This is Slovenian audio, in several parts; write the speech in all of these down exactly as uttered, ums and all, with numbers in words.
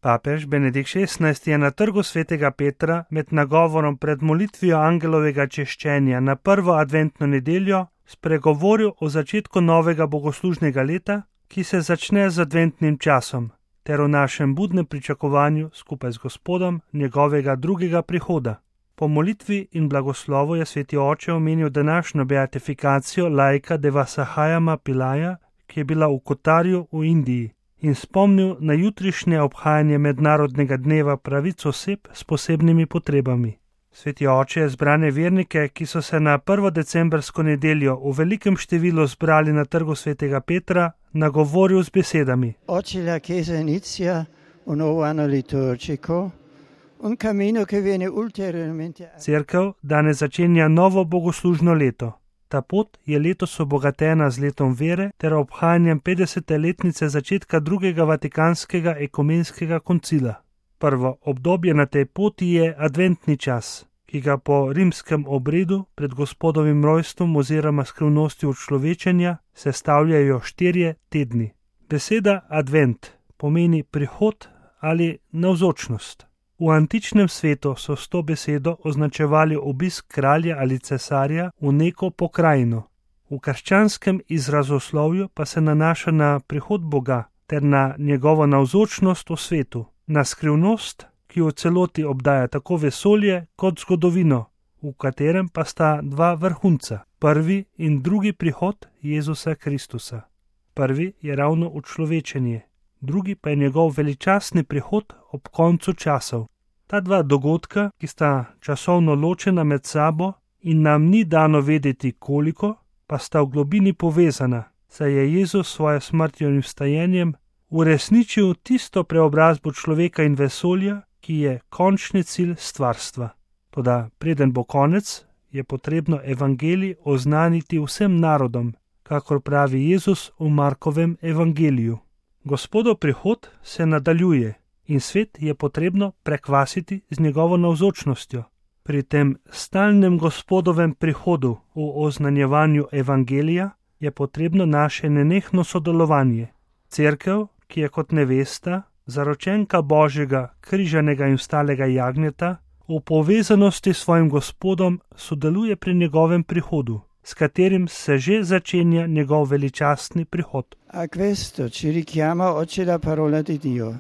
Papež Benedikt šestnajsti je na trgu svetega Petra med nagovorom pred molitvijo angelovega češčenja na prvo adventno nedeljo spregovoril o začetku novega bogoslužnega leta, ki se začne z adventnim časom, ter o našem budnem pričakovanju skupaj z Gospodom njegovega drugega prihoda. Po molitvi in blagoslovu je sveti oče omenil današnjo beatifikacijo laika Devasahajama Pilaja, ki je bila v Kotarju v Indiji, in spomnil na jutrišnje obhajanje mednarodnega dneva pravic oseb s posebnimi potrebami. Sveti oče je zbrane vernike, ki so se na prvo decembrsko nedeljo v velikem številu zbrali na trgu svetega Petra, nagovoril z besedami: Oggi la Chiesa inizia un nuovo anno liturgico, un cammino che viene ulteriormente. Cerkev danes začenja novo bogoslužno leto. Ta pot je letos obogatena z letom vere ter obhajanjem petdesete letnice začetka drugega vatikanskega ekumenskega koncila. Prvo obdobje na tej poti je adventni čas, ki ga po rimskem obredu pred Gospodovim rojstvom oziroma skrivnostjo človečenja sestavljajo štirje tedni. Beseda advent pomeni prihod ali navzočnost. V antičnem svetu so s to besedo označevali obisk kralja ali cesarja v neko pokrajino. V krščanskem izrazoslovju pa se nanaša na prihod Boga ter na njegovo navzočnost v svetu, na skrivnost, ki v celoti obdaja tako vesolje kot zgodovino, v katerem pa sta dva vrhunca, prvi in drugi prihod Jezusa Kristusa. Prvi je ravno učlovečenje, drugi pa je njegov veličastni prihod ob koncu časov. Ta dva dogodka, ki sta časovno ločena med sabo in nam ni dano vedeti koliko, pa sta v globini povezana, saj je Jezus s svojo smrtjo in vstajenjem uresničil tisto preobrazbo človeka in vesolja, ki je končni cilj stvarstva. Toda preden bo konec, je potrebno evangelij oznaniti vsem narodom, kakor pravi Jezus v Markovem evangeliju. Gospodov prihod se nadaljuje in svet je potrebno prekvasiti z njegovo navzočnostjo. Pri tem stalnem Gospodovem prihodu v oznanjevanju evangelija je potrebno naše nenehno sodelovanje. Cerkev, ki je kot nevesta, zaročenka Božjega, križanega in vstalega jagnjeta, v povezanosti s svojim Gospodom sodeluje pri njegovem prihodu, s katerim se že začenja njegov veličastni prihod. A questo ci richiama oggi la parola di Dio,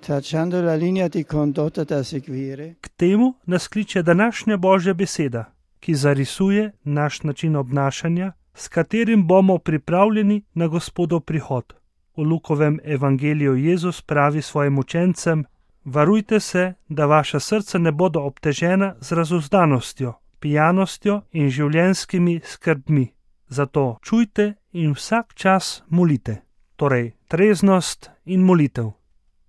tracciando la linea di condotta da seguire. K temu nas kliče današnja Božja beseda, ki zarisuje naš način obnašanja, s katerim bomo pripravljeni na Gospodov prihod. V Lukovem evangeliju Jezus pravi svojim učencem: varujte se, da vaša srca ne bodo obtežena z razuzdanostjo, pijanostjo in življenjskimi skrbmi. Zato čujte in vsak čas molite. Torej, treznost in molitev.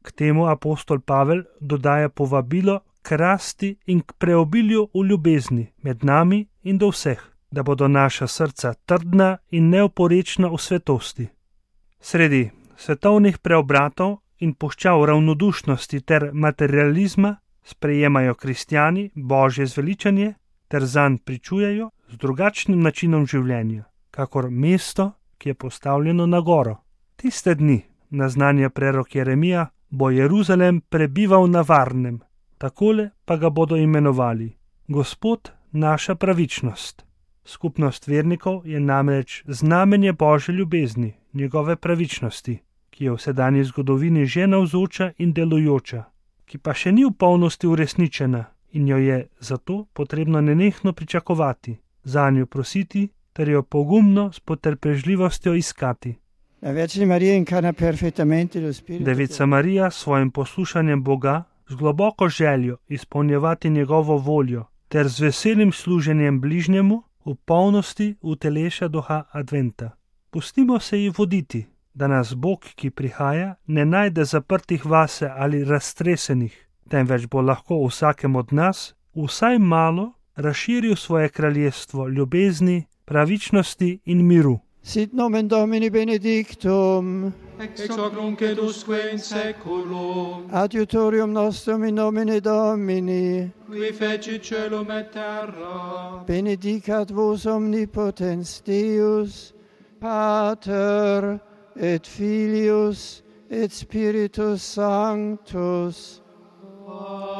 K temu apostol Pavel dodaja povabilo k rasti in k preobilju v ljubezni med nami in do vseh, da bodo naša srca trdna in neoporečna v svetosti. Sredi svetovnih preobratov in puščav ravnodušnosti ter materializma sprejemajo kristjani Božje zveličanje ter zanj pričujejo z drugačnim načinom življenja, kakor mesto, ki je postavljeno na goro. Tiste dni, naznanja prerok Jeremija, bo Jeruzalem prebival na varnem, takole pa ga bodo imenovali: Gospod, naša pravičnost. Skupnost vernikov je namreč znamenje Božje ljubezni, njegove pravičnosti, ki je v sedanji zgodovini že navzoča in delujoča, ki pa še ni v polnosti uresničena in jo je zato potrebno nenehno pričakovati, zanjo prositi ter jo pogumno s potrpežljivostjo iskati. Devica Marija s svojim poslušanjem Boga, z globoko željo izpolnjevati njegovo voljo ter z veselim služenjem bližnjemu v polnosti uteleša duha adventa. Pustimo se ji voditi, da nas Bog, ki prihaja, ne najde zaprtih vase ali raztresenih, temveč bo lahko vsakem od nas vsaj malo razširil svoje kraljestvo ljubezni, pravičnosti in miru. Sit nomen Domini benedictum, ex hoc nunc et usque in saeculum, adiutorium nostrum in nomine Domini, qui fecit caelum et terra, benedicat vos omnipotens Deus, Pater et Filius et Spiritus Sanctus. Amen.